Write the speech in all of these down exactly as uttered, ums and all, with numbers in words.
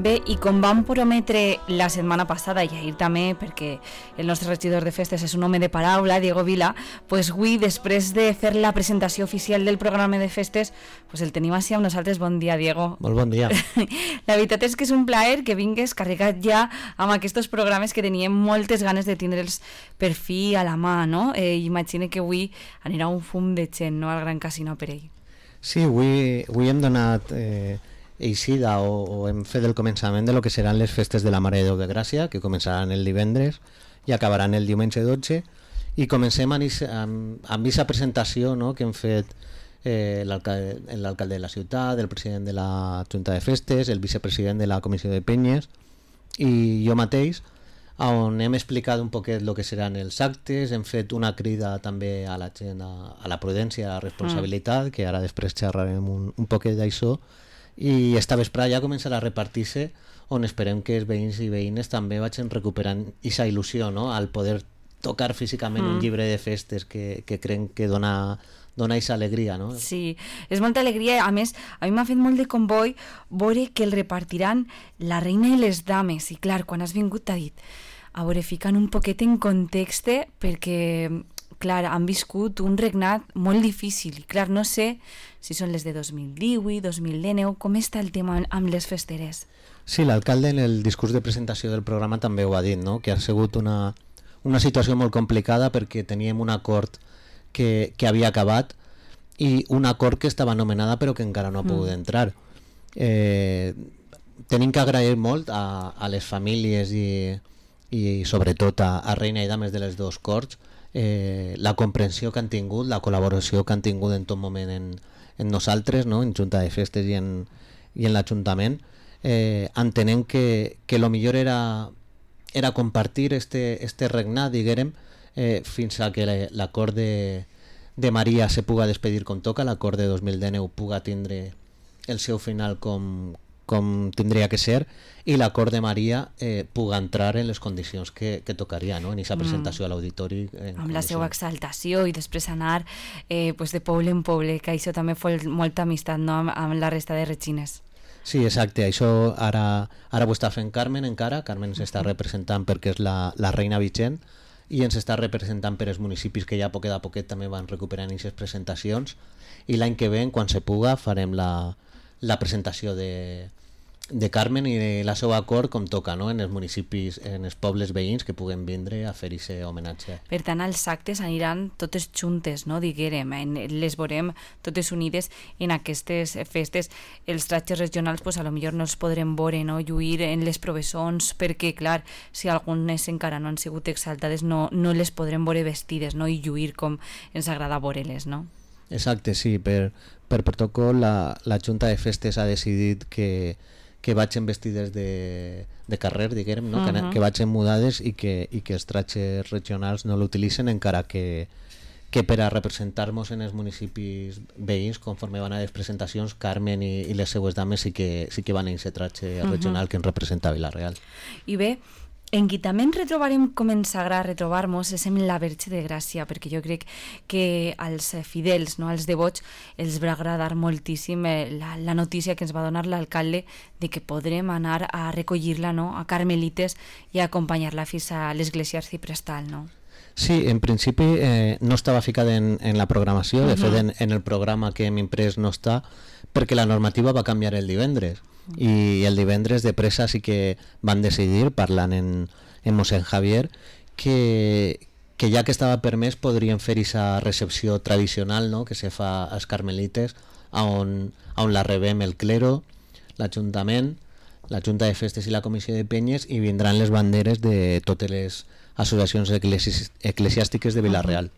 Bé, i com vam prometre la setmana passada, i ahir també, perquè el nostre regidor de festes és un home de paraula, Diego Vila, pues avui, després de fer la presentació oficial del programa de festes, pues el tenim així amb nosaltres. Bon dia, Diego. Molt bon dia. La veritat és que és un plaer que vingues carregat ja amb aquests programes que teníem moltes ganes de tindre'ls per fi a la mà, no? Eh, imagina que avui anirà un fum de gent, no?, al Gran Casino per ell. Sí, avui, avui hem donat eh, eixida o, o hem fet el començament de lo que seran les festes de la Mare de Déu de Gràcia, que començaran el divendres i acabaran el diumenge dotze, i comencem amb aquesta presentació, no?, que hem fet eh, l'alcalde l'alcalde de la ciutat, el president de la Junta de Festes, el vicepresident de la Comissió de Penyes i jo mateix, on hem explicat un poquet el que seran els actes, hem fet una crida també a la gent a, a la prudència, a la responsabilitat, mm. que ara després xerrarem un, un poquet d'això, i esta vesprada ja començarà a repartir-se, on esperem que els veïns i veïnes també vagin recuperant aquesta il·lusió, no?, al poder tocar físicament mm. un llibre de festes que, que creiem que dona dona aquesta alegria, no? Sí, és molta alegria. A més, a mi m'ha fet molt de comboi veure que el repartiran la reina i les dames, i clar, quan has vingut t'ha dit a veure, ficant un poquet en context, perquè clar, han viscut un regnat molt difícil i clar, no sé si són les de dos mil divuit, dos mil dinou, com està el tema amb les festeres? Sí, l'alcalde en el discurs de presentació del programa també ho ha dit, no?, que ha sigut una, una situació molt complicada perquè teníem un acord que, que havia acabat i un acord que estava anomenada però que encara no ha pogut mm. entrar. Eh, tenim que agrair molt a, a les famílies i, i sobretot a, a reina i dames de les dos corts eh, la comprensió que han tingut, la col·laboració que han tingut en tot moment en, en nosaltres, no?, en Junta de Festes i en, i en l'Ajuntament, eh, entenent que, que lo millor era, era compartir este, este regnat, diguérem, Eh, fins a que l'acord de, de Maria se puga despedir com toca, l'acord de dos mil dinou puga tindre el seu final com, com tindria que ser, i l'acord de Maria eh, puga entrar en les condicions que, que tocaria, no?, en aquesta presentació mm. a l'auditori. Amb la seva exaltació i després anar eh, pues de poble en poble, que això també fou molta amistat, no?, amb, amb la resta de regines. Sí, exacte, això ara, ara ho està fent Carmen encara, Carmen s'està representant perquè és la, la reina vigent, i ens està representant per els municipis que ja poquet a poquet també van recuperant aquestes presentacions, i l'any que ve, quan se puga, farem la, la presentació de, de Carmen i de la seva acord com toca, no?, en els municipis, en els pobles veïns que puguen vindre a fer aquest homenatge. Per tant, els actes aniran totes juntes, no?, diguérem, les veurem totes unides en aquestes festes. Els tratges regionals, pues, a lo millor no els podrem veure, no?, lluir en les provessons, perquè, clar, si algunes encara no han sigut exaltades, no, no les podrem veure vestides, no?, i lluir com ens agrada veure-les, no? Exacte, sí, per, per protocol la, la Junta de Festes ha decidit que que vagin vestides de, de carrer, diguem, no? uh -huh. que, que vagin mudades i que, i que els tratges regionals no l'utilitzen, encara que, que per a representar-nos en els municipis veïns, conforme van a les presentacions, Carmen i, i les seues dames sí que, sí que van a aquest tratge uh -huh. regional que ens representa a Vila-real. I bé, en qui també ens retrobarem com ens agrada retrobar-nos és en la Verge de Gràcia, perquè jo crec que als fidels, no, als devots, els va agradar moltíssim la, la notícia que ens va donar l'alcalde de que podrem anar a recollir-la, no?, a Carmelites i a acompanyar-la fins a l'església arciprestal, no? Sí, en principi eh, no estava ficat en, en la programació, de uh -huh. fet en, en el programa que hem imprès no està, perquè la normativa va canviar el divendres. I el divendres de pressa sí que van decidir, parlant en, en mossèn Javier, que, que ja que estava permès podrien fer aquesta recepció tradicional, no?, que se fa als Carmelites, on, on la rebem el clero, l'Ajuntament, la Junta de Festes i la Comissió de Penyes, i vindran les banderes de totes les associacions eclesi eclesiàstiques de Vila-real.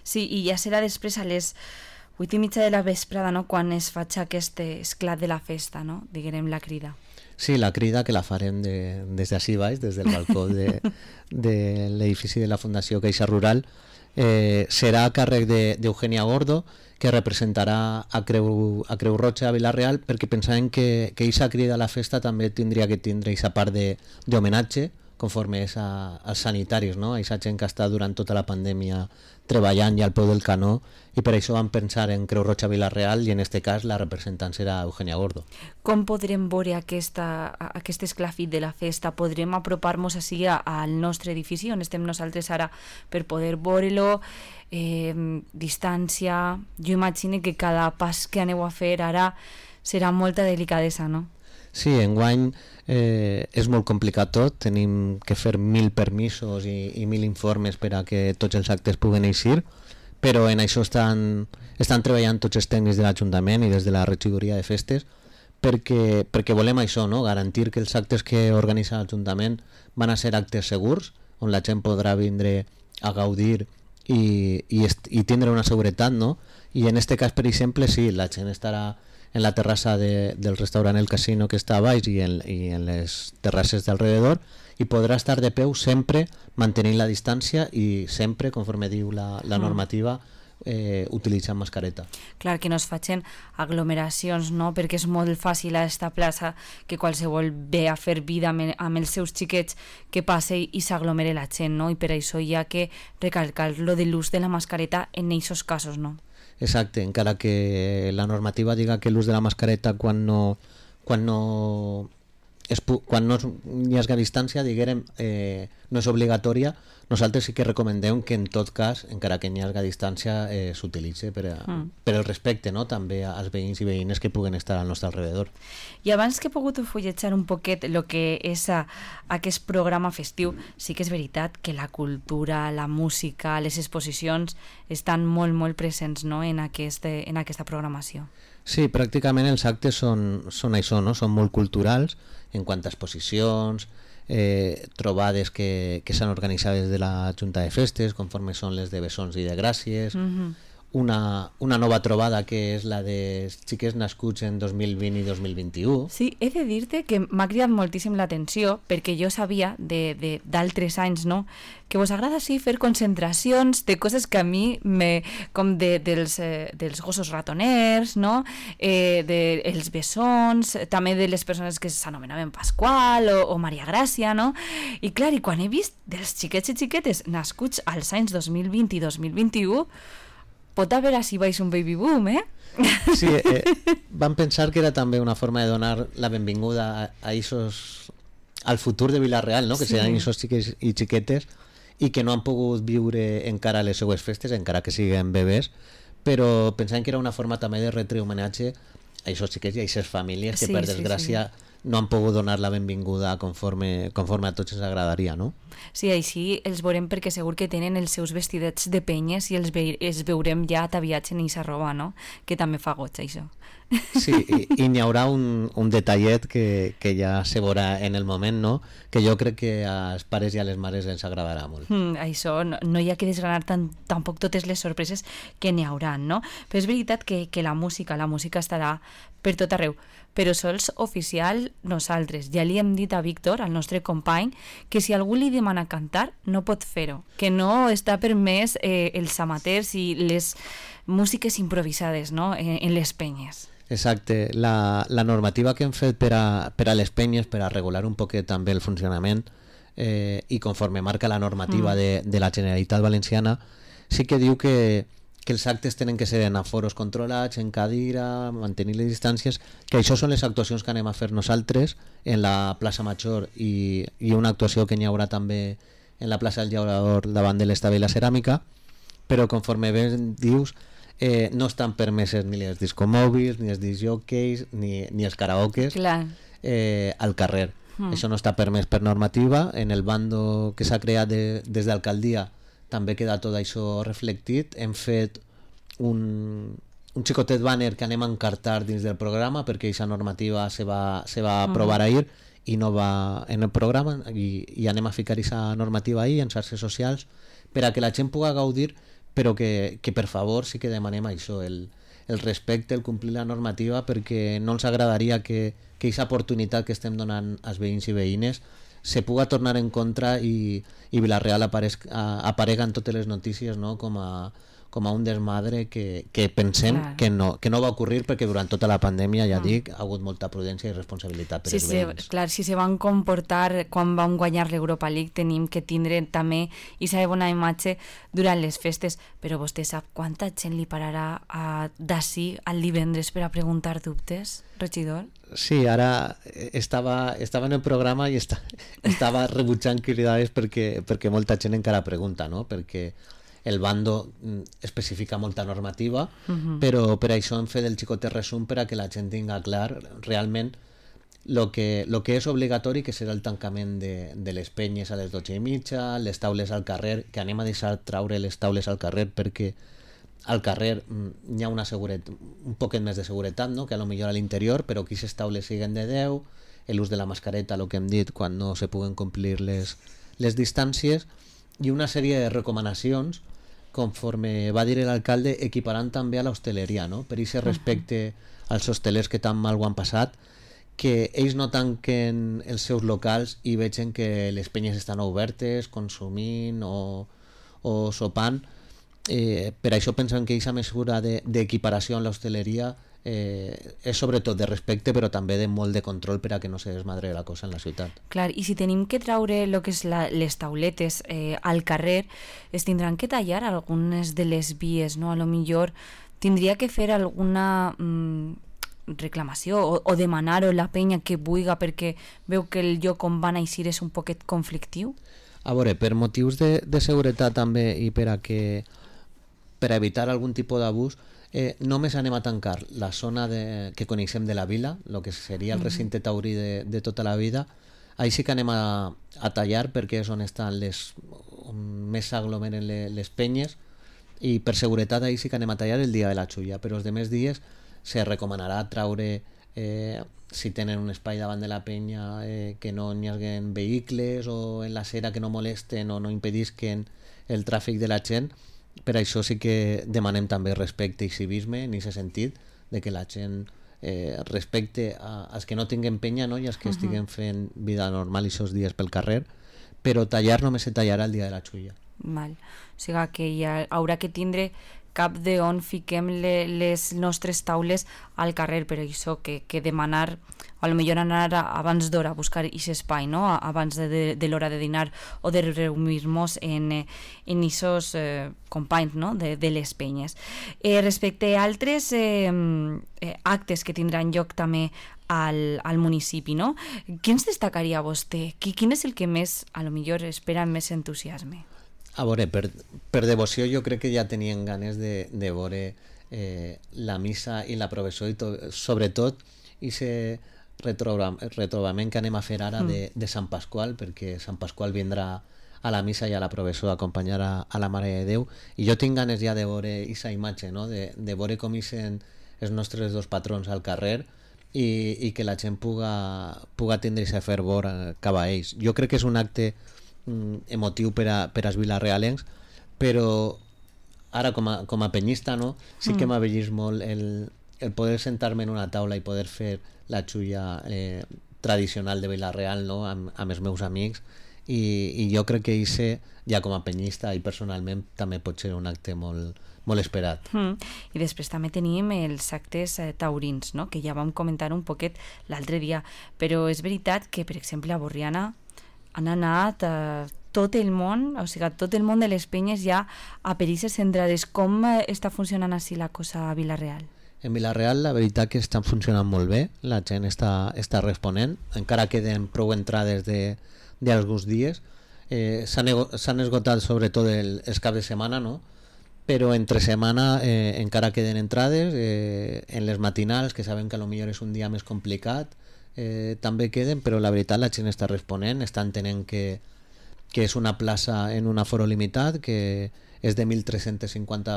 Sí, i ja serà després a les vuit i mitja de la vesprada, no?, quan es faig aquest esclat de la festa, no?, diguem la crida. Sí, la crida que la farem de, des d'ací baix, des del balcó de, de l'edifici de la Fundació Caixa Rural, eh, serà a càrrec d'Eugènia Gordo, que representarà a Creu, a Creu Roja a Vila-real, perquè pensàvem que aquesta crida a la festa també tindria que tindre aquesta part d'homenatge, conforme és a, als sanitaris, no? Aquesta gent que està durant tota la pandèmia treballant ja al peu del canó, i per això vam pensar en Creu Roja Vila-real, i en este cas la representant serà Eugenia Gordo. Com podrem veure aquesta, aquest esclafit de la festa? Podrem apropar-nos així al nostre edifici on estem nosaltres ara per poder veure-lo, eh, distància? Jo imagino que cada pas que aneu a fer ara serà molta delicadesa, no? Sí, enguany eh, és molt complicat tot, tenim que fer mil permisos i, i mil informes per a que tots els actes puguen eixir, però en això estan, estan treballant tots els tècnics de l'Ajuntament i des de la regidoria de festes perquè, perquè volem això, no? Garantir que els actes que organitza l'Ajuntament van a ser actes segurs, on la gent podrà vindre a gaudir i, i, i tindre una seguretat, no? I en este cas, per exemple, sí, la gent estarà en la terrassa de, del restaurant El Casino que està a baix i en, i en les terrasses d'alrededor, i podrà estar de peu sempre mantenint la distància i sempre, conforme diu la, la normativa, eh, utilitzant mascareta. Clar, que no es facin aglomeracions, no? Perquè és molt fàcil a esta plaça que qualsevol ve a fer vida amb, amb els seus xiquets que passe i s'aglomere la gent, no? I per això hi ha que recalcar lo de l'ús de la mascareta en aquests casos, no? Exacte, encara que la normativa diga que l'ús de la mascareta quan no, quan no, es, quan no hi hagi distància, diguem, eh, no és obligatòria, nosaltres sí que recomendem que en tot cas, encara que hi hagi distància, eh, s'utilitzi per, a, mm. per el respecte, no? També als veïns i veïnes que puguen estar al nostre alrededor. I abans que he pogut fulletjar un poquet el que és a, aquest programa festiu, sí que és veritat que la cultura, la música, les exposicions estan molt, molt presents, no? en, aquest, en aquesta programació. Sí, pràcticament els actes són, són això, no? Són molt culturals en quant a exposicions, eh, trobades que, que s'han organitzat des de la Junta de Festes, conforme són les de Bessons i de Gràcies, mm-hmm. una, una nova trobada que és la de xiquets nascuts en dos mil vint i dos mil vint-i-u. Sí, he de dir-te que m'ha cridat moltíssim l'atenció perquè jo sabia d'altres anys, no?, que vos agrada sí fer concentracions de coses que a mi me, com de, dels, eh, dels gossos ratoners, no?, eh, dels bessons, també de les persones que s'anomenaven Pasqual o, o Maria Gràcia, no? I clar, i quan he vist dels xiquets i xiquetes nascuts als anys dos mil vint i dos mil vint-i-u, pot haver així baix un baby boom, eh? Sí, eh, vam pensar que era també una forma de donar la benvinguda a, a isos, al futur de Vila-real, no? Que sí. Seran isos xiquets i xiquetes i que no han pogut viure encara les seues festes, encara que siguen bebès, però pensant que era una forma també de retre homenatge a isos xiquets i a ises famílies que sí, per desgràcia sí, sí. no han pogut donar la benvinguda conforme, conforme a tots ens agradaria, no? Sí, així els veurem perquè segur que tenen els seus vestidets de penyes i els, ve els veurem ja ataviats en aquesta roba, no? Que també fa goig, això. Sí, i, i n'hi haurà un, un detallet que, que ja se veurà en el moment, no? Que jo crec que als pares i a les mares ens agradarà molt. Mm, això, no, no hi ha que desgranar tan, tampoc totes les sorpreses que n'hi haurà, no? Però és veritat que, que la música, la música estarà per tot arreu, però sols oficial nosaltres. Ja li hem dit a Víctor, al nostre company, que si algú li demana cantar, no pot fer-ho, que no està permès eh, els amateurs i les músiques improvisades, no?, en, en les penyes. Exacte, la, la normativa que hem fet per a, per a les penyes, per a regular un poquet també el funcionament, eh, i conforme marca la normativa mm. de, de la Generalitat Valenciana, sí que diu que que els actes tenen que ser en aforos controlats, en cadira, mantenir les distàncies, que això són les actuacions que anem a fer nosaltres en la plaça Major i, i una actuació que n'hi haurà també en la plaça del Llaurador davant de l'Estable i la Ceràmica, però conforme ben dius, eh, no estan permeses ni els discomòbils, ni els discjòqueis, ni, ni els karaokes eh, al carrer. Mm. Això no està permès per normativa. En el bando que s'ha creat de, des d'alcaldia també queda tot això reflectit. Hem fet un, un xicotet banner que anem a encartar dins del programa perquè aquesta normativa se va, se va aprovar uh-huh. ahir i no va en el programa i, i anem a ficar aquesta normativa ahir en xarxes socials per a que la gent pugui gaudir, però que, que per favor sí que demanem això, el, el respecte, el complir la normativa, perquè no ens agradaria que aquesta oportunitat que estem donant als veïns i veïnes se puga tornar en contra i, i Vila-real aparega en totes les notícies, no? com, a, com a un desmadre que, que pensem Clar. que no, que no va ocórrer perquè durant tota la pandèmia, ja dic, ha hagut molta prudència i responsabilitat per Si els se, veïns. clar, si se van comportar quan vam guanyar l'Europa League tenim que tindre també aquesta bona imatge durant les festes, però vostè sap quanta gent li pararà a d'ací al divendres per a preguntar dubtes, regidor? Sí, ara estava, estava en el programa i esta, estava rebutjant cridades perquè, perquè molta gent encara pregunta, no? Perquè el bando especifica molta normativa, uh-huh. però per això hem fet el xicotet resum per a que la gent tinga clar realment lo que, lo que és obligatori, que serà el tancament de, de les penyes a les dotze i mitja, les taules al carrer, que anem a deixar traure les taules al carrer perquè al carrer hi ha una seguret, un poquet més de seguretat, no? Que a lo millor a l'interior, però que aquestes taules siguen de deu, l'ús de la mascareta, el que hem dit, quan no se puguen complir les, les distàncies, i una sèrie de recomanacions, conforme va dir l'alcalde, equiparant també a l'hostaleria, no? Per aquest respecte als hostelers que tan mal ho han passat, que ells no tanquen els seus locals i vegen que les penyes estan obertes, consumint o, o sopant. Eh, per això pensen que aquesta mesura d'equiparació de, en l'hostaleria eh, és sobretot de respecte, però també de molt de control per a que no se desmadre la cosa en la ciutat. Clar, i si tenim que traure lo que és la, les tauletes eh, al carrer, es tindran que tallar algunes de les vies, no? A lo millor tindria que fer alguna mm, reclamació o, o demanar-ho la penya que vulga perquè veu que el lloc on van eixir és un poquet conflictiu? A veure, per motius de, de seguretat també i per a que per a evitar algun tipus d'abús, eh, només anem a tancar la zona de, que coneixem de la vila, el que seria el recinte taurí de, de tota la vida. Ahí sí que anem a, a tallar perquè és on estan les on més s'aglomeren les, les penyes, i per seguretat ahí sí que anem a tallar el dia de la xulla, però els demés dies se recomanarà traure, eh, si tenen un espai davant de la penya, eh, que no hi haguen vehicles o en la cera que no molesten o no impedisquen el tràfic de la gent. Per això sí que demanem també respecte i civisme en aquest sentit, de que la gent eh, respecte a, als que no tinguen penya, no? I als que uh-huh. estiguen fent vida normal aquests dies pel carrer, però tallar només se tallarà el dia de la xulla. Val. O sigui que hi ha, haurà que tindre cap de on fiquem le, les nostres taules al carrer, però això que, que demanar, o potser anar a, abans d'hora a buscar aquest espai, no? Abans de, de, de l'hora de dinar o de reunir-nos en en aquests eh, companys, no? de, de les penyes. Eh, respecte a altres eh, eh, actes que tindran lloc també al, al municipi, no? Quins destacaria vostè? Quin és el que més, a lo millor, espera amb més entusiasme? A veure, per, per devoció jo crec que ja tenien ganes de, de veure eh, la missa i la professió i tot, sobretot aquest retrobament que anem a fer ara de, de Sant Pasqual, perquè Sant Pasqual vindrà a la missa i a la professió a acompanyar a, a la Mare de Déu, i jo tinc ganes ja de veure aquesta imatge, no? de, de veure com ixen els nostres dos patrons al carrer i, i que la gent puga, puga tindre aquest fervor cap a ells. Jo crec que és un acte emotiu per a, per als vilarealencs, però ara com a, com a penyista, no? Sí que m'ha vellist molt el, el poder sentar-me en una taula i poder fer la xulla eh, tradicional de Vila-real, no? amb, amb els meus amics, i, i jo crec que això, ja com a penyista i personalment, també pot ser un acte molt, molt esperat. Mm. I després també tenim els actes eh, taurins, no? Que ja vam comentar un poquet l'altre dia, però és veritat que, per exemple, a Borriana han anat a tot el món, o sigui, tot el món de les penyes ja a perisses centrades. Com està funcionant així la cosa a Vila-real? En Vila-real la veritat que estan funcionant molt bé, la gent està, està responent, encara queden prou entrades d'alguns dies, eh, s'han esgotat sobretot el, els caps de setmana, no? Però entre setmana eh, encara queden entrades, eh, en les matinals, que sabem que potser és un dia més complicat, Eh, també queden, però la veritat la gent està responent, està entenent que, que és una plaça en un aforo limitat, que és de mil tres-cents cinquanta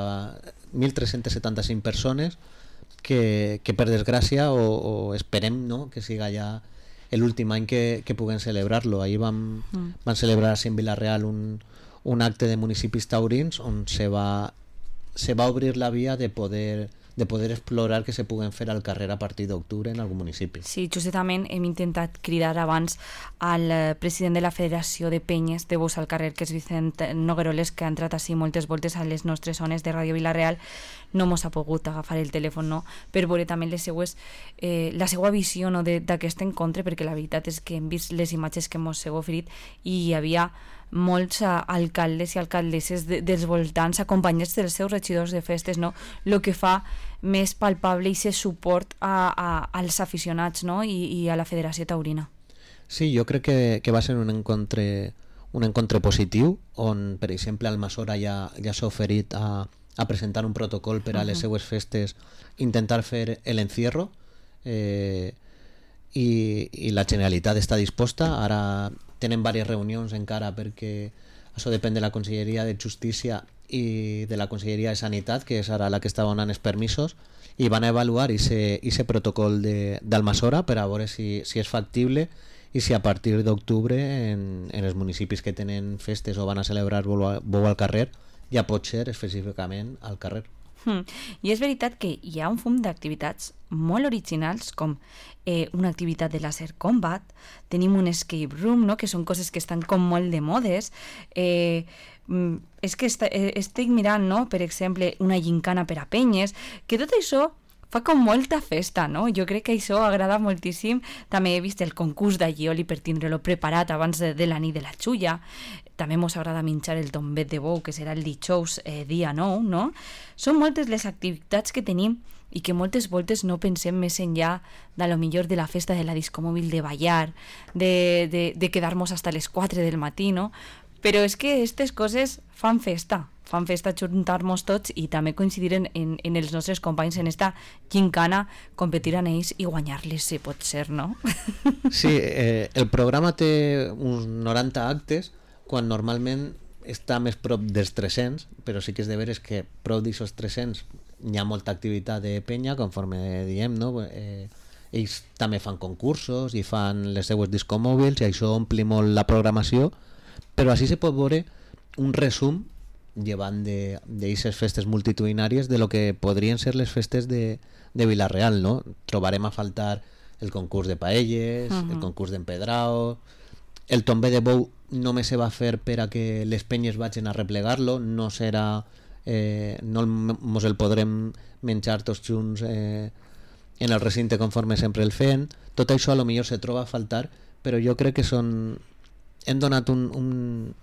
mil tres-cents setanta-cinc persones, que, que per desgràcia o, o esperem, no? Que siga ja l'últim any que, que puguem celebrar-lo. Ahir vam, mm. van celebrar en Vila-real un, un acte de municipis taurins on se va, se va obrir la via de poder de poder explorar que se puguen fer al carrer a partir d'octubre en algun municipi. Sí, justament hem intentat cridar abans al eh, president de la Federació de Penyes de Bous al carrer, que és Vicent Nogueroles, que ha entrat així moltes voltes a les nostres zones de Ràdio Vila-real. No mos ha pogut agafar el telèfon, no?, per veure també les seues, eh, la seva visió, no?, d'aquest encontre, perquè la veritat és que hem vist les imatges que mos heu oferit i hi havia molts uh, alcaldes i alcaldesses de, dels voltants acompanyats dels seus regidors de festes, no?, el que fa més palpable i ser suport a, a, als aficionats, no?, I, i a la Federació Taurina. Sí, jo crec que, que va ser un encontre, un encontre positiu, on, per exemple, Almassora ja, ja s'ha oferit a, a presentar un protocol per a les seues festes, intentar fer l'encierro, eh, i, i la Generalitat està disposta. Ara tenen diverses reunions encara, perquè això depèn de la Conselleria de Justícia i de la Conselleria de Sanitat, que és ara la que està donant els permisos, i van a avaluar aquest protocol d'Almassora per a veure si, si és factible i si a partir d'octubre en, en els municipis que tenen festes o van a celebrar bou al carrer ja pot ser específicament al carrer. Hmm. I és veritat que hi ha un fum d'activitats molt originals, com eh, una activitat de laser combat, tenim un escape room, no?, que són coses que estan com molt de modes. Eh, és que est estic mirant, no?, per exemple, una gincana per a penyes, que tot això fa com molta festa, no? Jo crec que això agrada moltíssim. També he vist el concurs d'allioli per tindre-lo preparat abans de, de la nit de la xulla. També mos agrada menjar el tombet de bou, que serà el dijous eh, dia nou, no? Són moltes les activitats que tenim i que moltes voltes no pensem més enllà de lo millor de la festa de la discomòbil, de ballar, de, de, de quedar-nos hasta les quatre del matí, no? Però és que aquestes coses fan festa, fan festa juntar-nos tots i també coincidir en, en, en els nostres companys en esta gincana, competir en ells i guanyar-les, si pot ser, no? Sí, eh, el programa té uns noranta actes, quan normalment està més prop dels tres-cents, però sí que és de veres que prop d'aquests tres-cents hi ha molta activitat de penya, conforme diem, no? Eh, ells també fan concursos i fan les seues discomòbils i això ompli molt la programació, però així se pot veure un resum, llevant d'aquestes festes multitudinàries, de lo que podrien ser les festes de, de Vila-real, no? Trobarem a faltar el concurs de paelles, uh-huh. el concurs d'empedrao, el tomber de bou només se va fer per a que les penyes vagin a replegar-lo, no serà, eh, no mos el podrem menjar tots junts eh, en el recinte conforme sempre el fem. Tot això a lo millor se troba a faltar, però jo crec que són... hem donat un, un,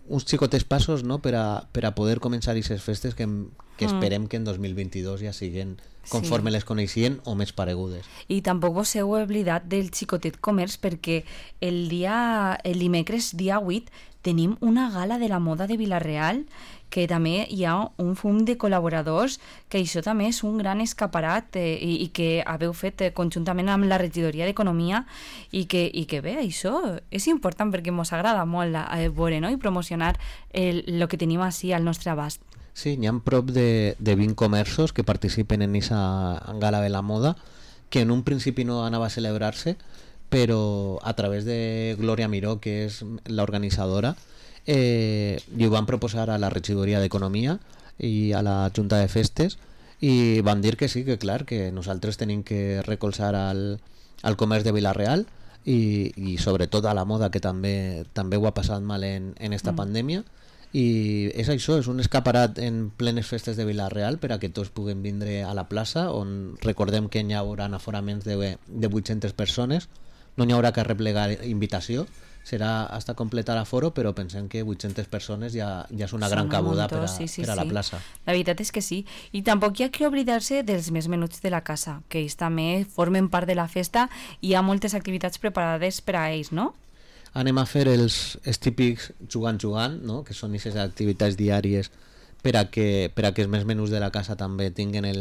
uns xicotes passos, no?, per a, per a poder començar aquestes festes que, que esperem que en dos mil vint-i-dos ja siguen conforme sí. les coneixien o més paregudes. I tampoc vos heu oblidat del xicotet comerç, perquè el dia el dimecres, dia vuit, tenim una gala de la moda de Vila-real, que també hi ha un fum de col·laboradors, que això també és un gran escaparat eh, i, i que haveu fet eh, conjuntament amb la regidoria d'Economia i que, i que bé, això és important perquè ens agrada molt eh, veure, no?, i promocionar el, el que tenim així al nostre abast. Sí, hi ha prop de, de vint comerços que participen en aquesta gala de la moda, que en un principi no anava a celebrar-se, però a través de Glòria Miró, que és l'organitzadora, eh, i ho van proposar a la regidoria d'Economia i a la Junta de Festes, i van dir que sí, que clar, que nosaltres tenim que recolzar al, al comerç de Vila-real i, i sobretot a la moda, que també també ho ha passat mal en, en esta mm. pandèmia. I és això, és un escaparat en plenes festes de Vila-real per a que tots puguem vindre a la plaça, on recordem que hi haurà aforaments de, de vuit-centes persones, no hi haurà que replegar invitació, serà hasta completar l'aforo, però pensem que vuit-centes persones ja, ja és una gran cabuda per a, sí, sí, per a la sí. plaça. La veritat és que sí, i tampoc hi ha que oblidar-se dels més menuts de la casa, que ells també formen part de la festa i hi ha moltes activitats preparades per a ells, no? Anem a fer els, els típics jugant-jugant, no?, que són aquestes activitats diàries per a que, per a que els més menús de la casa també tinguin el,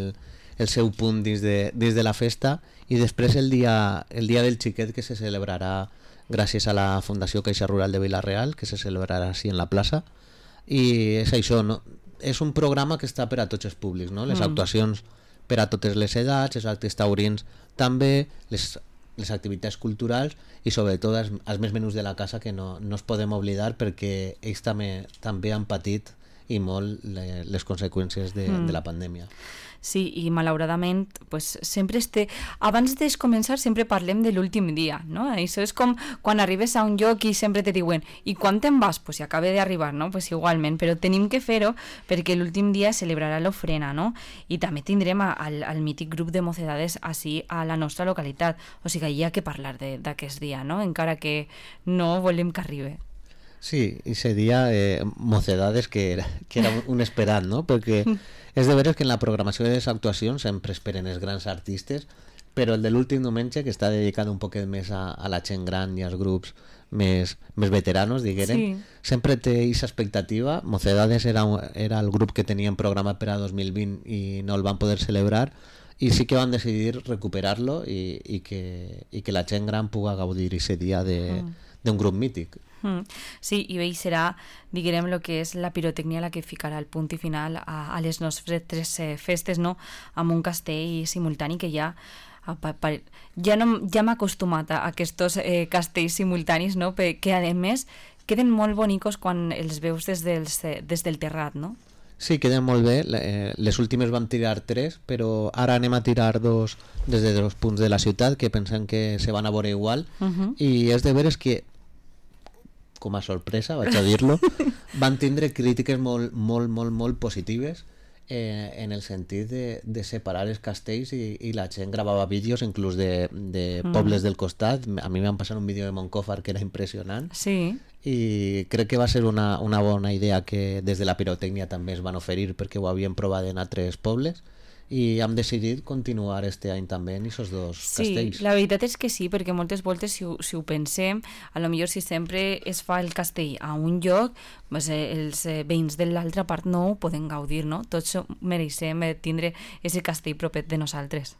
el seu punt dins de, dins de la festa, i després el dia, el dia del xiquet, que se celebrarà gràcies a la Fundació Caixa Rural de Vila-real, que se celebrarà així en la plaça, i és això, no? És un programa que està per a tots els públics, no? Les mm. actuacions per a totes les edats, els actes taurins també, les les activitats culturals i sobretot els, els més menús de la casa, que no, no es podem oblidar, perquè ells també, també han patit i molt le, les conseqüències de, mm. de la pandèmia. Sí, i malauradament pues, sempre este... abans de començar sempre parlem de l'últim dia, no? Això és com quan arribes a un lloc i sempre te diuen i quan te'n vas? Pues si acaba d'arribar, no? Pues igualment, però tenim que fer-ho perquè l'últim dia celebrarà l'ofrena, no? I també tindrem al, al mític grup de mocedades així a la nostra localitat, o sigui, hi ha que parlar d'aquest dia, no? Encara que no volem que arribi. Sí, ese día eh, mocedades que era, que era un esperat, no? Perquè és de veres que en la programació de les actuacions sempre esperen els grans artistes, però el de l'últim diumenge, que està dedicat un poquet més a, a la gent gran i als grups més, més veteranos, diguérem, sí. sempre té aquesta expectativa. Mocedades era, era el grup que tenien programat per a dos mil vint i no el van poder celebrar, i sí que van decidir recuperar-lo i, i, que, i que la gent gran pugui gaudir aquest dia de, mm. d'un grup mític. Mm. Sí, i bé, serà, diguem, el que és la pirotècnia la que ficarà el punt i final a, a les nostres tres eh, festes, no? Amb un castell simultani que ja ja, no, ja m'he acostumat a aquests eh, castells simultanis, no? Que a més queden molt bonicos quan els veus des, dels, des del terrat, no? Sí, queden molt bé. Les últimes vam tirar tres, però ara anem a tirar dos des de dos punts de la ciutat que pensem que se van a veure igual. Uh-huh. I és de veres que, com a sorpresa, vaig a dir-lo, van tindre crítiques molt, molt, molt, molt positives eh, en el sentit de, de separar els castells i, i la gent gravava vídeos inclús de, de pobles mm. del costat. A mi m'han passat un vídeo de Moncòfar que era impressionant. Sí. I crec que va ser una, una bona idea que des de la pirotècnia també es van oferir perquè ho havien provat en altres pobles i hem decidit continuar este any també en aquests dos sí, castells. Sí, la veritat és que sí, perquè moltes voltes si ho, si ho pensem, a lo millor si sempre es fa el castell a un lloc, pues, eh, els eh, veïns de l'altra part no ho poden gaudir, no? Tots mereixem eh, tindre aquest castell propet de nosaltres.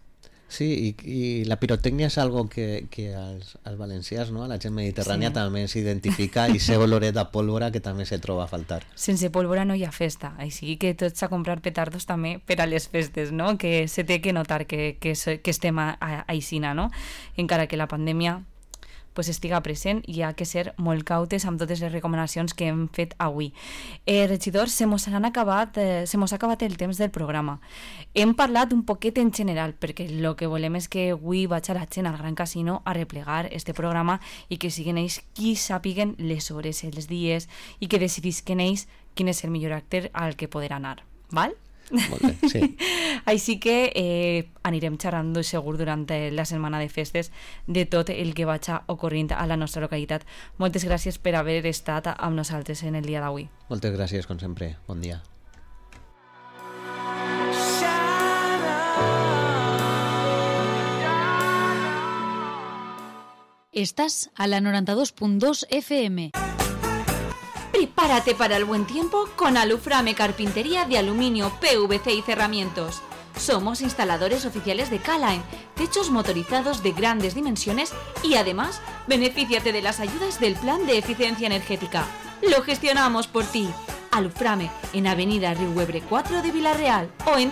Sí, i, i la pirotècnia és algo que, que als, als valencians, no? A la gent mediterrània sí. també s'identifica i sé oloret de pólvora que també se troba a faltar. Sense pólvora no hi ha festa, així que tots a comprar petardos també per a les festes, no? Que se té que notar que, que, que estem a, a, a Aixina, no? Encara que la pandèmia pues estiga present i ha que ser molt cautes amb totes les recomanacions que hem fet avui. Eh, regidors, se mos han acabat, eh, se mos ha acabat el temps del programa. Hem parlat un poquet en general, perquè el que volem és que avui vaig a la gent al Gran Casino a replegar este programa i que siguin ells qui sàpiguen les hores, els dies i que decidisquen ells quin és el millor acte al que poder anar. Val? Molt bé, sí. Així que eh, anirem xerrant segur durant la setmana de festes de tot el que vaig ocorrint a la nostra localitat. Moltes gràcies per haver estat amb nosaltres en el dia d'avui. Moltes gràcies, com sempre. Bon dia. Estás a la noventa y dos punto dos F M. Prepárate para el buen tiempo con Aluframe Carpintería de Aluminio, P V C y Cerramientos. Somos instaladores oficiales de K-Line, techos motorizados de grandes dimensiones y además benefíciate de las ayudas del Plan de Eficiencia Energética. Lo gestionamos por ti. Aluframe en Avenida Riuebre cuatro de Villarreal o en